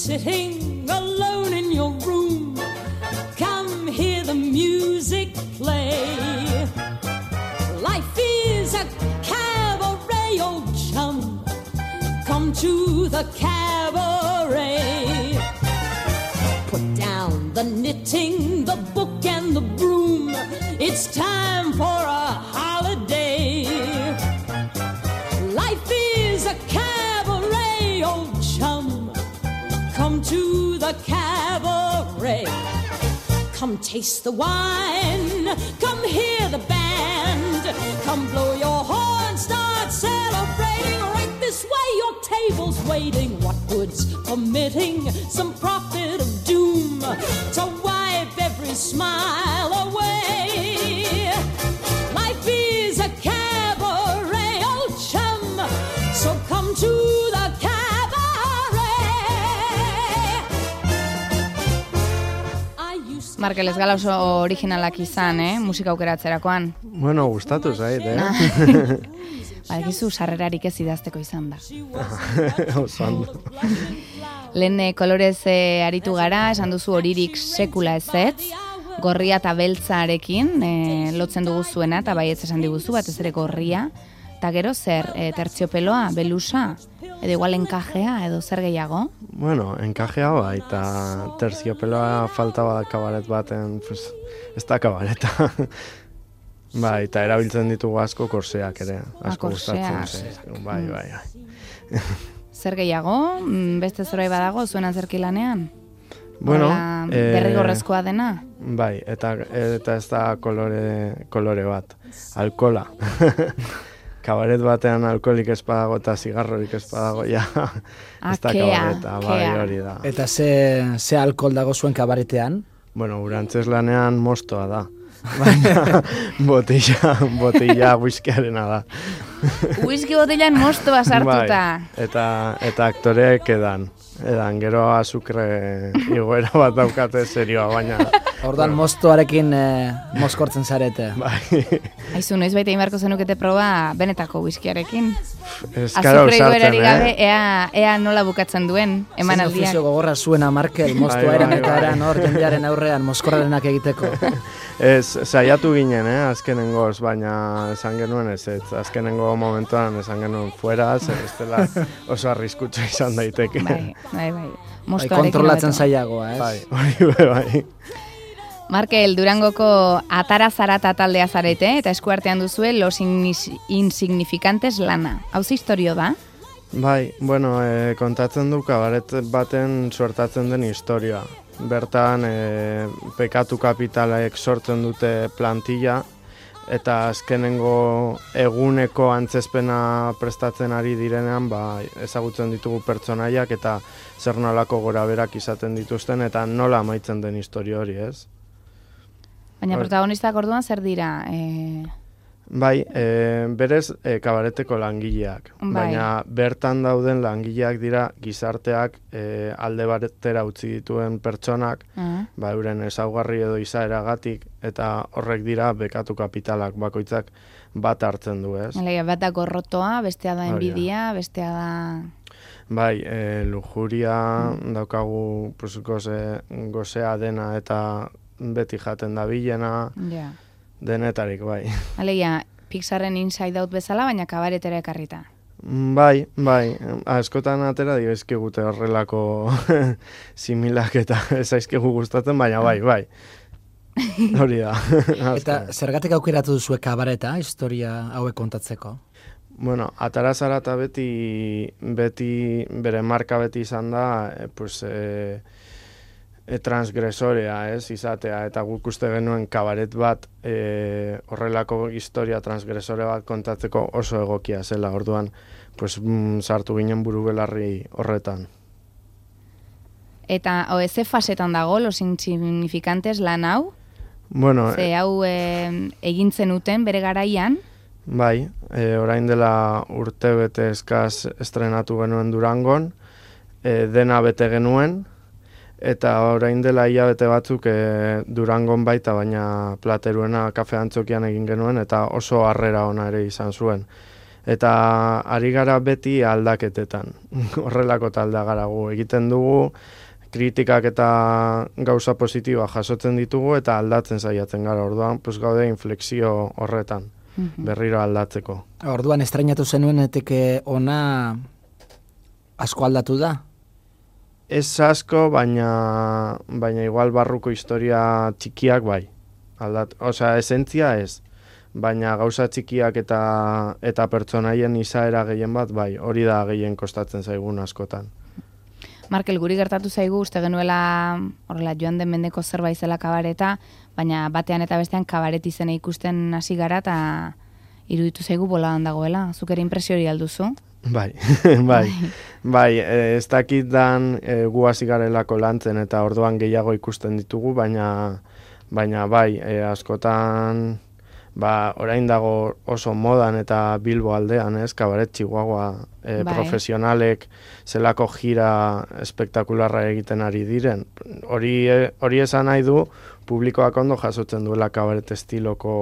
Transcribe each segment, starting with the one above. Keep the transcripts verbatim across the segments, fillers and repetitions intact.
sitting alone in your room, come hear the music play. Life is a cabaret, old chum, come to the cabaret. Put down the knitting, the book and the broom, it's time for a holiday. Life is a cabaret, old chum, come to the cabaret. Come taste the wine, come hear the band, come blow your horn, start celebrating. Right this way, your table's waiting. What good's permitting some prophet of doom to wipe every smile away? Life is a cabaret, old chum, so come to the cabaret. Markel ez gala oso originalak izan, eh? Musika aukeratzerakoan. Bueno, gustatu zait, eh? Badakizu sarrerarik ez idazteko izan da. Oso ondo. Lehen kolorez eh, aritu gara, esan duzu horirik sekula ezetz, gorria eta beltzarekin eh, lotzen dugu zuena, eta baietz esan diguzu, batez ere gorria. Eta gero zer, e, tertziopeloa, belusa, edo igual enkajea, edo zer gehiago? Bueno, enkajea bai, eta tertziopeloa falta bat kabaret baten, pues, ez da kabareta. Bai, eta erabiltzen ditugu asko korseak ere, asko gustatzen zaizkigu, bai, bai, bai. Zer gehiago? Beste zerbait badago zuen antzerki-lanean? Bueno, eh, derrigorrezkoa dena? Bai, eta, eta ez da kolore, kolore bat, alkola. Kabaret batean alkoholik ez badago eta zigarrorik ez badago, ja, ez da kabareta, bai, hori da. Eta ze, ze alkohol dago zuen kabaretean? Bueno, urantz lanean mostoa da. Baina botilla, botilla whiskyarena da. Whisky botillan mostoa sartuta. Bai, eta, eta aktoreek edan. Edan, gero azukre igoera bat daukate serioa, baina... Ordan mostoarekin eh, moskortzen zarete. Bai. Aizu, noiz baita inbarko zenukete proba benetako whiskyarekin. Eskara azukre usartzen, igoerarik gabe, eh? ea, ea nola bukatzen duen, eman aldiak. Zen ofizio gogorra zuena Markel, mostoa eren eta eran hor jendearen aurrean moskorrarenak egiteko. Ez, saiatu ginen, eh, azkenengoz, baina esan genuen ez, ez, azkenengo momentuan esan genuen fuera, zer ez dela oso arriskutsu izan daiteke. Bai, bai, bai. Bai, kontrolatzen zailagoa, ez? Bai, hori bai. Markel, Durangoko Atara Zarata taldea zarete, eta eskuartean duzue Los Insignificantes lana. Hau ze historio da? Bai, bueno, e, kontatzen du kabaret baten suertatzen den historia. Bertan, e, pekatu kapitalaek sortzen dute plantilla, eta azkenengo eguneko antzezpena prestatzen ari direnean, ba, ezagutzen ditugu pertsonaiak eta zer nolako goraberak izaten dituzten, eta nola amaitzen den historia hori, ez? Baina protagonistak orduan zer dira? E... Bai, e, berez e, kabareteko langileak. Bai. Baina bertan dauden langileak dira gizarteak e, alde batera utzi dituen pertsonak, uh-huh. ba, euren ezaugarri edo izaeragatik, eta horrek dira bekatu kapitalak bakoitzak bat hartzen du, ez? Elega, bat da gorrotoa, bestea da enbidia, bestea da... Bai, e, lujuria mm. daukagu pues, goze, gozea dena eta beti jaten da bilena, yeah. denetarik, bai. Alegia, Pixarren Inside Out bezala, baina kabaretera ekarrita. Bai, bai, askotan atera dioizkigute horrelako similak eta ezaizkigu gustatzen, baina bai, bai. Hori da. Eta zergatik aukeratu duzue kabareta, historia hauek kontatzeko? Bueno, Atara Zarata beti, beti bere marka beti izan da, e, pues, e, e, transgresorea, ez, izatea, eta guk uste genuen kabaret bat e, horrelako historia transgresore bat kontatzeko oso egokia zela, orduan, pues, mm, sartu ginen buru belarri horretan. Eta, o, ze fasetan dago, Los Insignificantes lan hau? Bueno, ze hau e, egintzen uten bere garaian? Bai, e, orain dela urte bete eskaz estrenatu genuen Durangon, e, dena bete genuen, eta orain dela hilabete batzuk e, Durangon baita, baina Plateruena kafe antzokian egin genuen, eta oso harrera ona ere izan zuen. Eta ari gara beti aldaketetan, horrelako taldea gara gu. Egiten dugu, kritikak eta gauza positiboa jasotzen ditugu eta aldatzen saiatzen gara. Orduan, pues gaude inflexio horretan, berriro aldatzeko. Orduan, estrainatu zenuenetik ona asko aldatu da? Ez asko, baina, baina igual barruko historia txikiak bai. Aldat, osea, esentzia ez. Baina gauza txikiak eta eta pertsonaien izaera gehien bat, bai, hori da gehien kostatzen zaigun askotan. Markel, guri gertatu zaigu, uste genuela horrela joan den mendeko zerbait zela kabareta, baina batean eta bestean kabaret izena ikusten hasi gara eta iruditu zaigu boladan dagoela. Zuk ere impresio hori alduzu? Bai, bai, bai, ez dakit dan e, gu hasi garelako lantzen eta orduan gehiago ikusten ditugu, baina, baina bai, e, askotan... Ba, orain dago oso modan eta Bilbo aldean, ez, kabaret Chihuahua e, bai. Profesionalek zelako gira espektakularra egiten ari diren. Hori, hori esan nahi du, publikoak ondo jasotzen duela kabaret estiloko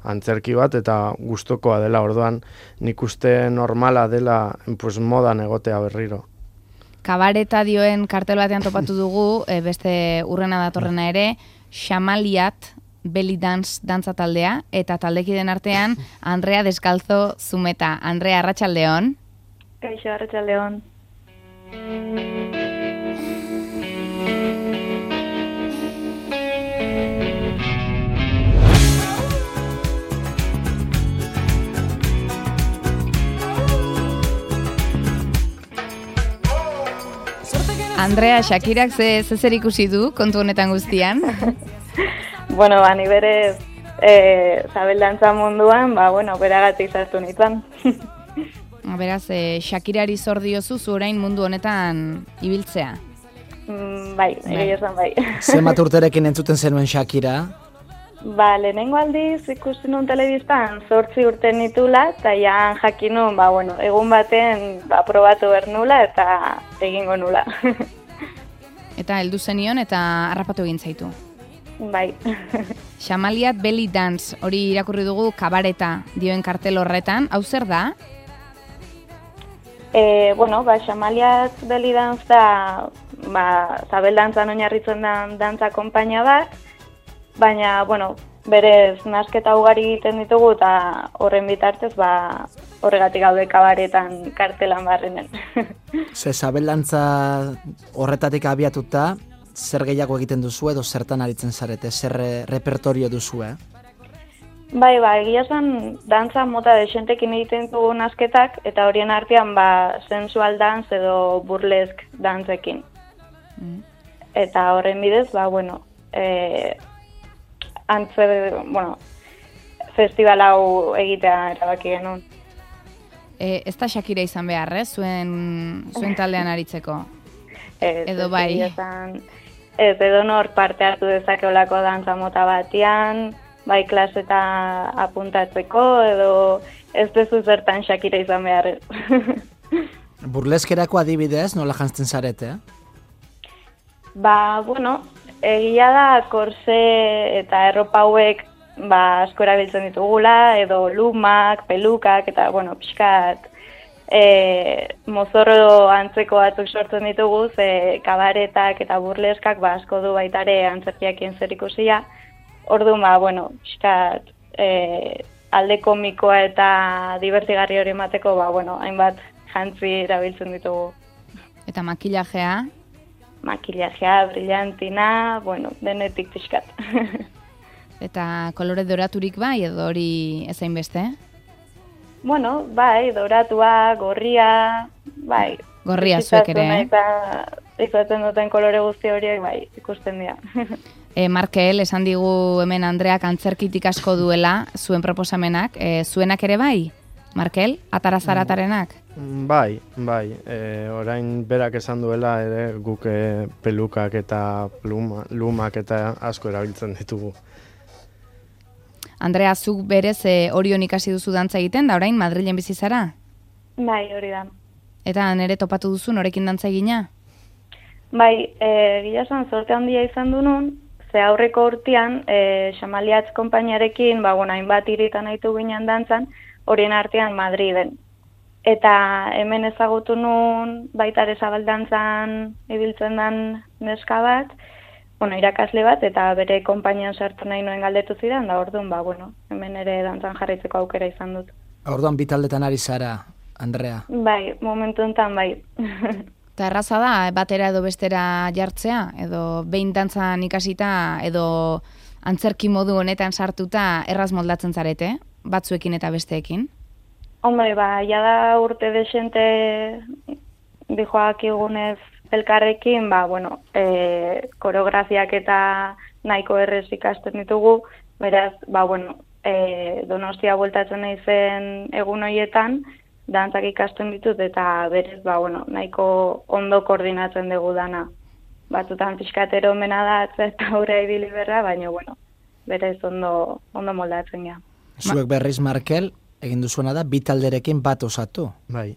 antzerki bat, eta gustokoa dela, orduan nik uste normala dela pues, modan egotea berriro. Kabareta dioen kartel batean topatu dugu, e, beste urrena datorrena ere, Xamaliat Belly Dance dantza taldea, eta taldekiden artean Andrea Descalzo Zumeta. Andrea, arratsaldeon. Kaixo, arratsaldeon. Andrea, Shakirak ze zer ikusi du kontu honetan guztian? Bueno, ba, ni berez e, zabeldantza munduan, ba, bueno, beragatik sartu nintzen. Beraz, e, Shakirari zor diozu zu orain mundu honetan ibiltzea? Mm, bai, egia esan bai. Zenbat urterekin entzuten zenuen Shakira? Ba, lehenengo aldiz ikusi nun telebistan zortzi urte nitula, eta ja jakin nun, ba, bueno, egun baten ba, probatu behar nula eta egingo nula. Eta heldu zenion eta harrapatu egin zaitu. Bai. Xamaliat Belly Dance, hori irakurri dugu kabareta dioen kartel horretan, hau zer da? E, bueno, ba, Xamaliat Belly Dance da, ba, zabeldantzan oinarritzen da dantza konpainia bat, baina, bueno, berez nasketa ugari egiten ditugu eta horren bitartez, ba, horregatik gaude kabaretan kartelan barrenen. Ze zabeldantza horretatik abiatuta, zer gehiago egiten duzu edo zertan aritzen zarete, zer repertorio duzu, eh? Bai, ba, egia zen dantza mota desentekin egiten dugu nasketak, eta horien artean, ba, sensual dance edo burlesk dantzekin. Mm. Eta horren bidez, ba, bueno, e, antze, bueno, festival hau egitea erabaki genuen. E, ez da Shakira izan behar, eh? Zuen, zuen taldean aritzeko? Ez, edo bai? Esan, ez, edo nor parte hartu dezakeolako dantza mota batian, bai klaseta apuntatzeko, edo ez dezu zertan Shakira izan behar. Burleskerako adibidez, nola jantzten zarete, eh? Ba, bueno, egia da korse eta erropa hauek ba, asko erabiltzen ditugula, edo lumak, pelukak, eta, bueno, pixkat, e, mozorro antzeko batzuk sortzen ditugu, ze kabaretak eta burleskak ba, asko du baitare antzerkiakien zer ikusia. Orduan, ba, bueno, pixkat, e, alde komikoa eta divertigarri hori emateko, ba, bueno, hainbat jantzi erabiltzen ditugu. Eta makillajea? Makillajea, brillantina, bueno, denetik pixkat. Eta kolore doraturik bai, edo hori ezain beste? Bueno, bai, doratua, gorria, bai. Gorria zuek ere, eh? Eta izaten duten kolore guzti horiek, bai, ikusten dira. E, Markel, esan digu hemen Andreak antzerkitik asko duela, zuen proposamenak, e, zuenak ere bai? Markel, atarazaratarenak? Bai, bai, e, orain berak esan duela ere guk e, pelukak eta pluma, lumak eta asko erabiltzen ditugu. Andrea, zuk berez e, Orion ikasi duzu dantza egiten, da orain Madrilen bizi zara? Bai, hori da. Eta nere topatu duzu norekin dantza egina? Bai, e, gila esan zorte handia izan du nun, ze aurreko urtean, e, Xamaliatz konpainiarekin, ba, bueno, hainbat iritan haitu ginen dantzan, horien artean Madriden. Eta hemen ezagutu nun baita ere zabaldantzan ibiltzen den neska bat, bueno, irakasle bat, eta bere konpainian sartu nahi noen galdetu zidan, da orduan, ba, bueno, hemen ere dantzan jarraitzeko aukera izan dut. Orduan bitaldetan ari zara, Andrea? Bai, momentu enten bai. Eta erraza da, batera edo bestera jartzea, edo behin dantzan ikasita, edo antzerki modu honetan sartuta erraz moldatzen zarete, batzuekin eta besteekin? Hombre, ba, jada urte desente dijoak igunez elkarrekin, ba, bueno, e, koreografiak eta nahiko errez ikasten ditugu, beraz, ba, bueno, e, Donostia bueltatzen naizen egun horietan, dantzak ikasten ditut, eta berez, ba, bueno, nahiko ondo koordinatzen dugu dana. Batzutan pixkatero mena da, eta aurre ibili berra, baina, bueno, berez ondo, ondo moldatzen ja. Zuek berriz, Markel, egin duzuena da, bi talderekin bat osatu. Bai,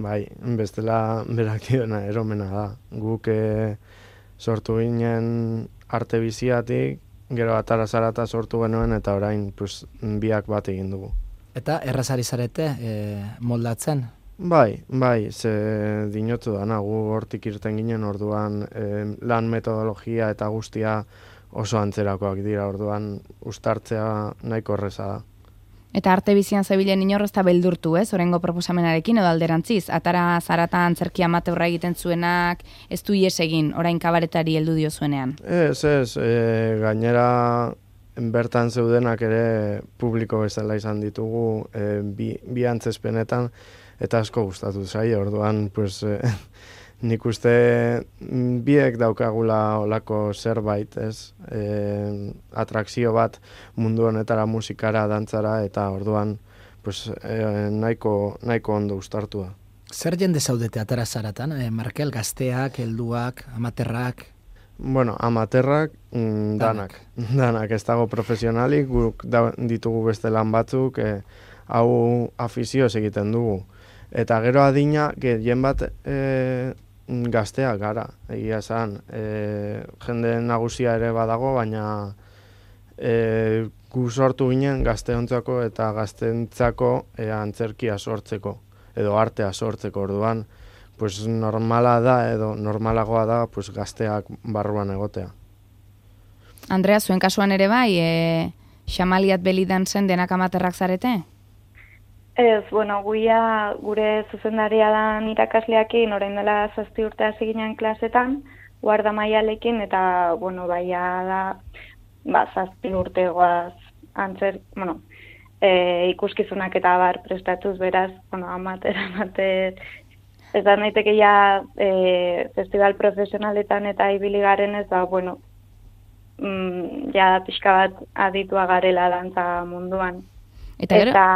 bai, bestela berak diona eromena da. Guk e, sortu ginen arte biziatik, gero atara zarata sortu genuen, eta orain pues, biak bat egin dugu. Eta errazari zarete e, moldatzen? Bai, bai, ze dinotu dana, gu hortik irten ginen orduan e, lan metodologia eta guztia oso antzerakoak dira, orduan ustartzea nahiko erreza da. Eta arte bizian zebilen inorrez eta beldurtu, ez, orengo proposamenarekin edo alderantziz. Atara zarata antzerki amateurra egiten zuenak, ez du ies egin, orain kabaretari heldu dio zuenean. Ez, ez, e, gainera bertan zeudenak ere publiko bezala izan ditugu e, bi, bi antzespenetan, eta asko gustatu zaie, orduan, pues, e, nik uste biek daukagula olako zerbait, ez? E, atrakzio bat mundu honetara, musikara, dantzara, eta orduan pues, e, nahiko, nahiko ondo ustartua. Zer jende zaudete atara zaratan, e, Markel, gazteak, helduak, amaterrak? Bueno, amaterrak, mm, danak. danak. Danak, ez dago profesionalik, guk da, ditugu beste lan batzuk, e, hau afizioz egiten dugu. Eta gero adina, gehien bat e, gazteak gara, egia esan. E, jende nagusia ere badago, baina e, gu sortu ginen gazteontzako eta gaztentzako e, antzerkia sortzeko, edo artea sortzeko orduan, pues normala da, edo normalagoa da, pues gazteak barruan egotea. Andrea, zuen kasuan ere bai, e, xamaliat belidan zen denak amaterrak zarete? Ez, bueno, guia gure zuzendaria dan irakasleakin orain dela zazpi urte hasi ginen klasetan, guarda maialekin, eta, bueno, baia da, ba, zazpi urte goaz antzer, bueno, e, ikuskizunak eta bar prestatuz beraz, bueno, amater, amater, ez da naiteke ja e, festival profesionaletan eta ibili garen ez da, bueno, mm, ja pixka bat aditua garela dantza munduan. Eta, gero? Eta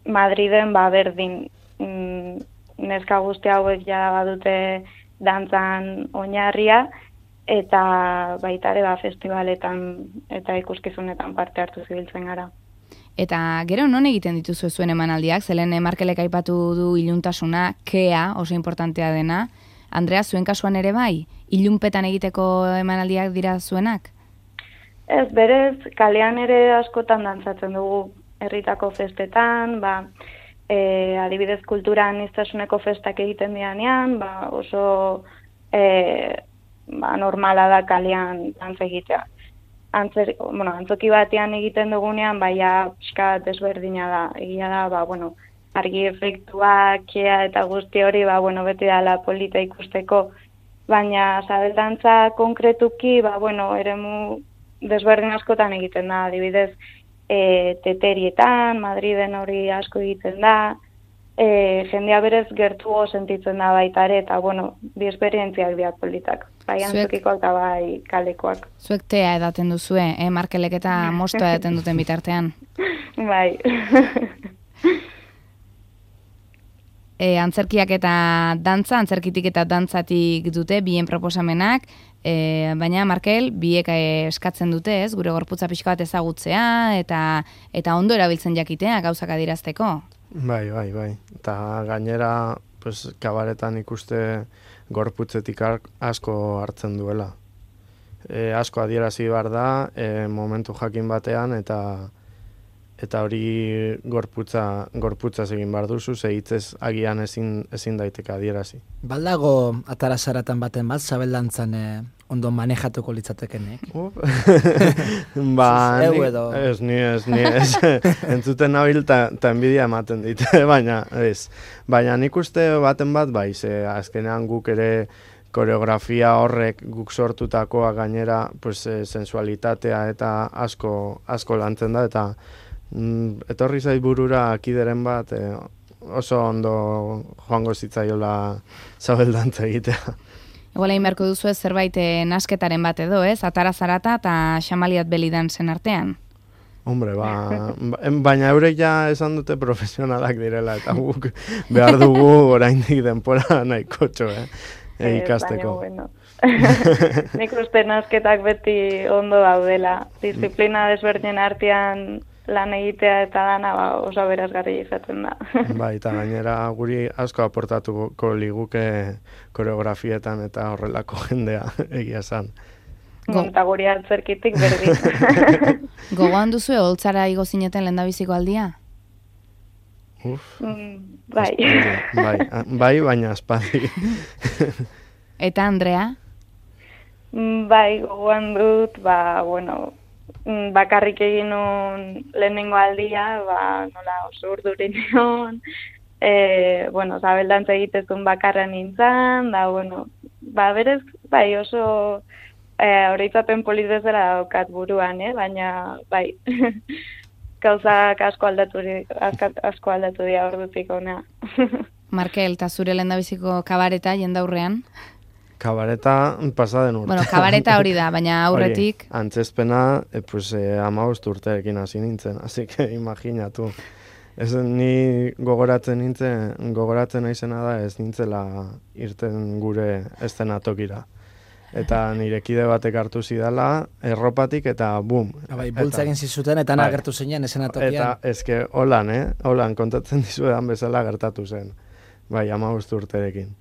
Madriden, ba, berdin, mm, neska guzti hauek ja badute dantzan oinarria, eta baita ere ba, festivaletan eta ikuskizunetan parte hartu zibiltzen gara. Eta gero non egiten dituzu zuen emanaldiak, zelen Markelek aipatu du iluntasuna, kea, oso importantea dena. Andrea, zuen kasuan ere bai, ilunpetan egiteko emanaldiak dira zuenak? Ez, berez, kalean ere askotan dantzatzen dugu, herritako festetan, ba, e, adibidez kultura aniztasuneko festak egiten dianean, ba, oso e, ba, normala da kalean dantza egitea. Antzer, bueno, antzoki batean egiten dugunean, baina pixka desberdina da. Egia da, ba, bueno, argi efektuak, kea eta guzti hori, ba, bueno, beti dala polita ikusteko, baina zabeldantza konkretuki, ba, bueno, eremu desberdin askotan egiten da, adibidez, E, teterietan, Madriden hori asko egiten da, e, jendea berez gertugo sentitzen da baita ere, eta, bueno, bi esperientziak dira politak. Bai antzokikoak eta bai kalekoak. Zuek tea edaten duzue, eh, Markelek eta mostoa edaten duten bitartean. Bai. E, antzerkiak eta dantza, antzerkitik eta dantzatik dute, bien proposamenak, e, baina Markel, biek eskatzen dute, ez, gure gorputza pixka bat ezagutzea, eta eta ondo erabiltzen jakitea gauzak adierazteko. Bai, bai, bai. Eta gainera, pues, kabaretan ikuste gorputzetik asko hartzen duela. E, asko adierazi behar da, e, momentu jakin batean, eta eta hori gorputza, gorputza egin behar duzu, ze hitzez agian ezin, ezin daiteke adierazi. Baldago atarazaratan baten bat, zabeldantzan eh, ondo manejatuko litzatekenek. Ba, Ez, ni, edo. ez, ni ez, ni ez. Entzuten nabil ta, ta enbidia ematen dit, baina ez. Baina nik uste baten bat, bai, ze azkenean guk ere koreografia horrek guk sortutakoa gainera, pues, e, sensualitatea eta asko, asko lantzen da, eta mm, etorri zait burura kideren bat, e, oso ondo joango zitzaiola zabeldantza egitea. Igual egin beharko duzu ez zerbait eh, nasketaren bat edo, ez? Atara zarata eta Xamaliat Belidansen artean. Hombre, ba, baina eurek ja esan dute profesionalak direla, eta guk behar dugu oraindik denpora nahikotxo, eh? E, ikasteko. Baina, bueno. Nik uste nasketak beti ondo daudela. Disiplina desberdinen artean lan egitea eta dana ba, oso berazgarri izaten da. Bai, eta gainera guri asko aportatuko liguke koreografietan eta horrelako jendea egia esan. Go- Eta guri atzerkitik berdin. Gogoan duzu holtzara igo zineten lehendabiziko aldia? Uf, Mm, bai. bai, a- bai, baina aspaldi. Eta Andrea? Mm, Bai, gogoan dut, ba, bueno, mm, bakarrik egin nun lehenengo aldia, ba, nola oso urduri nion, e, bueno, zabeldantza egitezun bakarra nintzen, da, bueno, ba, berez, bai, oso e, horitzapen polit bezala daukat buruan, eh? Baina, bai, gauzak asko aldatu, di- asko, asko aldatu dira ordutik ona. Markel, eta zure lehendabiziko kabareta jendaurrean? Kabareta pasaden urte. Bueno, kabareta hori da, baina aurretik... Hori, antzezpena, e, pues, e, amabost urterekin hasi nintzen, así que imaginatu. Ez ni gogoratzen nintzen, gogoratzen naizena da ez nintzela irten gure eszenatokira. Eta nire kide batek hartu zidala, erropatik eta bum. Bai, bultza egin zizuten eta Bai. agertu zinen esenatokian. Eta eske holan, eh? Holan kontatzen dizuedan bezala gertatu zen. Bai, amabost urterekin.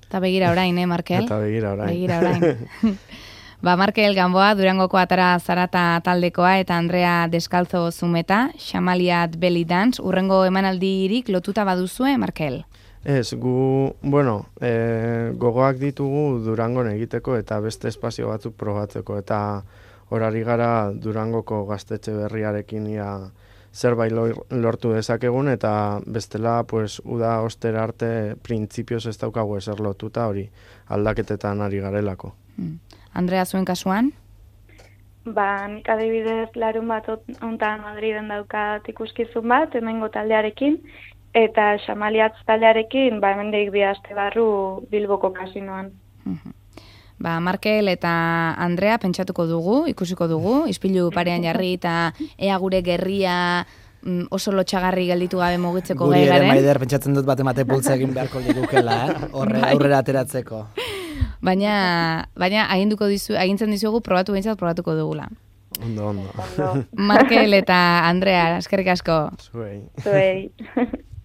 Eta begira orain, eh, Markel? Eta begira orain. Begira orain. Ba, Markel Gamboa, Durangoko Atara Zarata taldekoa eta Andrea Deskalzo Zumeta, Xamaliat Belly Dance, urrengo emanaldirik lotuta baduzue, Markel? Ez, gu, bueno, e, gogoak ditugu Durangon egiteko eta beste espazio batzuk probatzeko, eta horari gara Durangoko gaztetxe berriarekin ia zerbait lor- lortu dezakegun, eta bestela, pues, uda ostera arte printzipioz ez daukagu ezer lotuta hori aldaketetan ari garelako. Hmm. Andrea, zuen kasuan? Ba, nik adibidez larun bat ontan Madriden daukat ikuskizun bat, hemengo taldearekin, eta Xamaliatz taldearekin, ba, hemendik bi aste barru Bilboko kasinoan. Mhm. Ba, Markel eta Andrea pentsatuko dugu, ikusiko dugu, ispilu parean jarri eta ea gure gerria mm, oso lotxagarri gelditu gabe mugitzeko Guri gai ere garen. Maider pentsatzen dut bate mate bultza egin beharko ligukela, eh? Horre, Bai. aurrera ateratzeko. Baina, baina aginduko dizu, agintzen dizugu probatu behintzat probatuko dugula. Ondo, ondo. Ondo, Markel eta Andrea, eskerrik asko. Zuei. zuei.